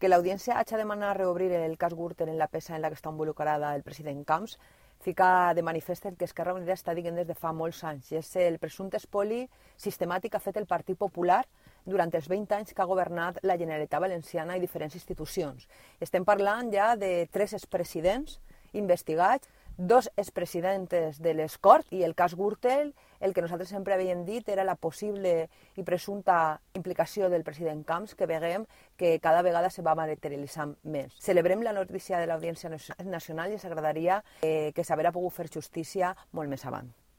Que l'audiència hagi demanat reobrir el cas Gürtel en la peça en la que està involucrada el president Camps fica de manifest el que Esquerra Unida està dient des de fa molts anys, i és el presumpte espoli sistemàtic que ha fet el Partit Popular durant els 20 anys que ha governat la Generalitat Valenciana i diferents institucions. Estem parlant ja de 3 expresidents investigats, 2 expresidentes de les Corts, i el cas Gürtel, el que nosaltres sempre havíem dit era la possible i presumpta implicació del president Camps, que veiem que cada vegada se va materialitzant més. Celebrem la notícia de l'Audiència Nacional i ens agradaria que s'haguera pogut fer justícia molt més avant.